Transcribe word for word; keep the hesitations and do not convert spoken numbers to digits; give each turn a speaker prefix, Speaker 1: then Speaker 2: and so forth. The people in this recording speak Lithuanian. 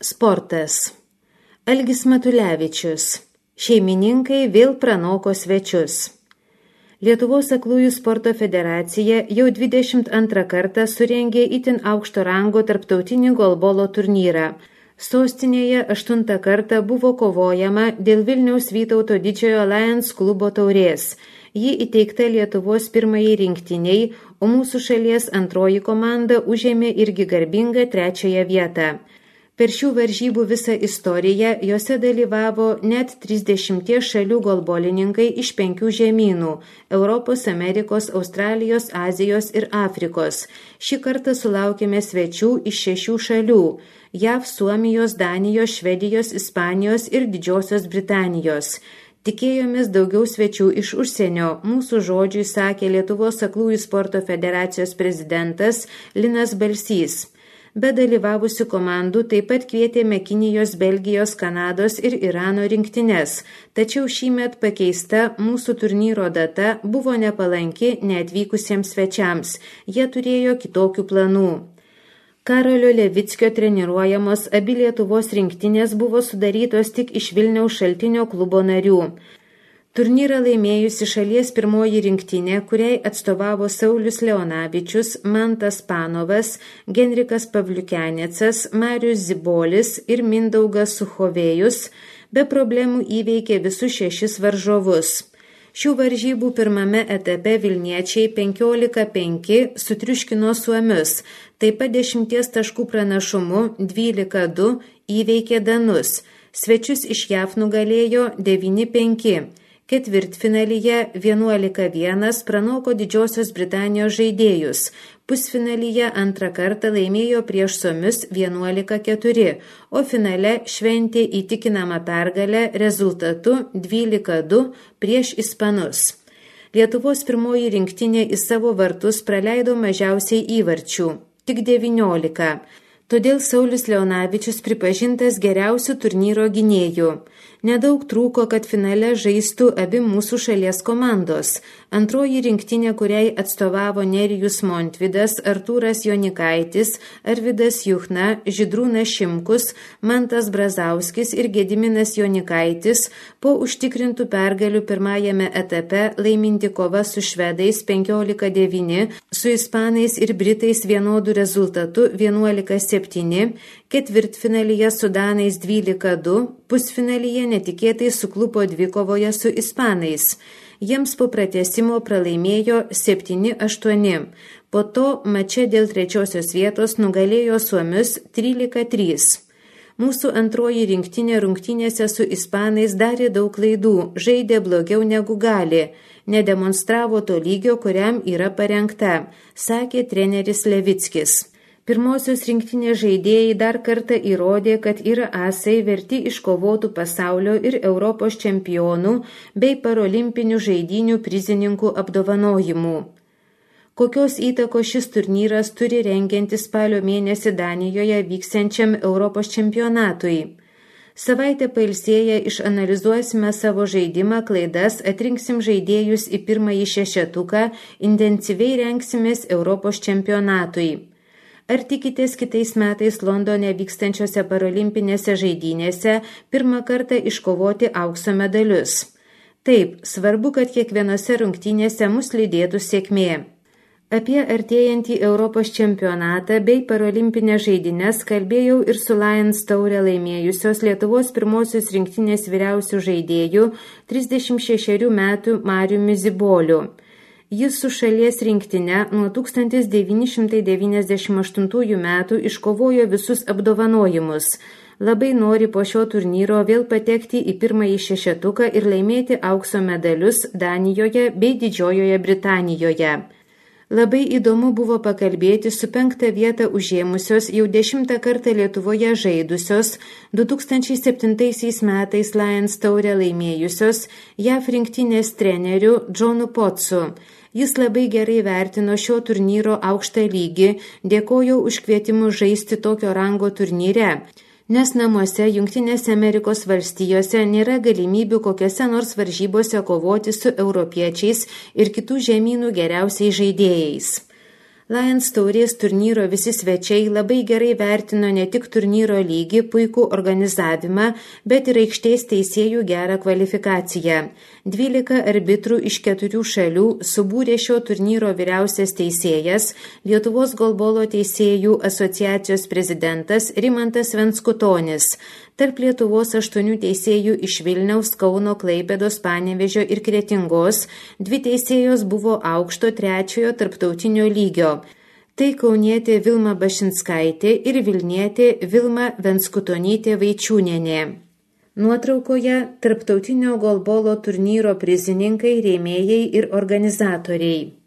Speaker 1: Sportas. Algis Matulevičius. Šeimininkai vėl pranoko svečius. Lietuvos aklųjų sporto federacija jau dvidešimt antrą kartą surengė itin aukšto rango tarptautinį golbolo turnyrą. Sostinėje aštuntą kartą buvo kovojama dėl Vilniaus Vytauto Didžiojo Lions klubo taurės. Ji įteikta Lietuvos pirmajai rinktiniai, o mūsų šalies antroji komanda užėmė irgi garbingą trečiąją vietą. Per šių varžybų visą istoriją jose dalyvavo net trisdešimties šalių golbolininkai iš penkių žemynų – Europos, Amerikos, Australijos, Azijos ir Afrikos. Šį kartą sulaukėme svečių iš šešių šalių – J A V, Suomijos, Danijos, Švedijos, Ispanijos ir Didžiosios Britanijos. Tikėjomės daugiau svečių iš užsienio, mūsų žodžiui sakė Lietuvos aklųjų sporto federacijos prezidentas Linas Balsys. Be dalyvavusių komandų taip pat kvietėme Kinijos, Belgijos, Kanados ir Irano rinktines, tačiau šįmet pakeista mūsų turnyro data buvo nepalanki neatvykusiems svečiams, jie turėjo kitokių planų. Karolio Levickio treniruojamos abi Lietuvos rinktinės buvo sudarytos tik iš Vilniaus Šaltinio klubo narių. Turnyrą laimėjusi šalies pirmoji rinktinė, kuriai atstovavo Saulius Leonavičius, Mantas Panovas, Genrikas Pavliukenecas, Marius Zibolis ir Mindaugas Suchovėjus, be problemų įveikė visus šešis varžovus. Šių varžybų pirmame etape vilniečiai penkiolika penki sutriuškino suomius, taip pat dešimties taškų pranašumu dvylika du įveikė danus. Svečius iš J A V nugalėjo devyni penki. Ketvirtfinalyje vienuolika vienas pranoko Didžiosios Britanijos žaidėjus. Pusfinalyje antrą kartą laimėjo prieš suomius vienuolika keturi, o finale šventė įtikinamą pergalę rezultatu dvylika du prieš ispanus. Lietuvos pirmoji rinktinė į savo vartus praleido mažiausiai įvarčių, tik devyniolika. Todėl Saulius Leonavičius pripažintas geriausiu turnyro gynėju. Nedaug trūko, kad finale žaistų abi mūsų šalies komandos. Antroji rinktinė, kuriai atstovavo Nerijus Montvydas, Artūras Jonikaitis, Arvydas Juchna, Žydrūnas Šimkus, Mantas Brazauskis ir Gediminas Jonikaitis, po užtikrintų pergalių pirmajame etape laiminti kova su švedais penkiolika devyni, su ispanais ir britais vienodų rezultatų vienuolika septyni, ketvirtfinalyje su danais dvylika du, pusfinalyje netikėtai suklupo dvikovoje su ispanais. Jiems po pratęsimo pralaimėjo septyni aštuoni. Po to mače dėl trečiosios vietos nugalėjo suomius trylika trys. Mūsų antroji rinktinė rungtynėse su ispanais darė daug klaidų, žaidė blogiau negu gali, nedemonstravo to lygio, kuriam yra parengta, sakė treneris Levickis. Pirmosios rinktinės žaidėjai dar kartą įrodė, kad yra asai verti iškovotų pasaulio ir Europos čempionų bei parolimpinių žaidynių prizininkų apdovanojimų. Kokios įtakos šis turnyras turi rengiantis spalio mėnesį Danijoje vyksiančiam Europos čempionatui? Savaitę pailsėję išanalizuosime savo žaidimą, klaidas, atrinksim žaidėjus į pirmąjį šešetuką, intensyviai rengsimės Europos čempionatui. Ar tikitės kitais metais Londone vykstančiose parolimpinėse žaidynėse pirmą kartą iškovoti aukso medalius? Taip, svarbu, kad kiekvienose rungtynėse mus lydėtų sėkmė. Apie artėjantį Europos čempionatą bei parolimpinės žaidynės kalbėjau ir su Lions taurę laimėjusios Lietuvos pirmosios rinktinės vyriausių žaidėjų trisdešimt šešerių metų Mariumi Ziboliu. Jis su šalies rinktine nuo tūkstantis devyni šimtai devyniasdešimt aštuntųjų metų iškovojo visus apdovanojimus. Labai nori po šio turnyro vėl patekti į pirmąjį šešetuką ir laimėti aukso medalius Danijoje bei Didžiojoje Britanijoje. Labai įdomu buvo pakalbėti su penktą vietą užėmusios jau dešimtą kartą Lietuvoje žaidusios, du tūkstančiai septintaisiais metais Lions taurę laimėjusios J A V rinktinės treneriu Džonu Potsu. Jis labai gerai vertino šio turnyro aukštą lygį, dėkojo už kvietimus žaisti tokio rango turnyre, nes namuose Jungtinėse Amerikos valstijose nėra galimybių kokiose nors varžybose kovoti su europiečiais ir kitų žemynų geriausiais žaidėjais. Lions taurės turnyro visi svečiai labai gerai vertino ne tik turnyro lygį, puikų organizavimą, bet ir aikštės teisėjų gerą kvalifikaciją. dvylika arbitrų iš keturių šalių subūrė šio turnyro vyriausias teisėjas, Lietuvos golbolo teisėjų asociacijos prezidentas Rimantas Venskutonis. Tarp Lietuvos aštuonių teisėjų iš Vilniaus, Kauno, Klaipėdos, Panevėžio ir Kretingos dvi teisėjos buvo aukšto trečiojo tarptautinio lygio. Tai kaunietė Vilma Bašinskaitė ir vilnietė Vilma Venskutonytė Vaičiūnienė. Nuotraukoje tarptautinio golbolo turnyro prizininkai, rėmėjai ir organizatoriai.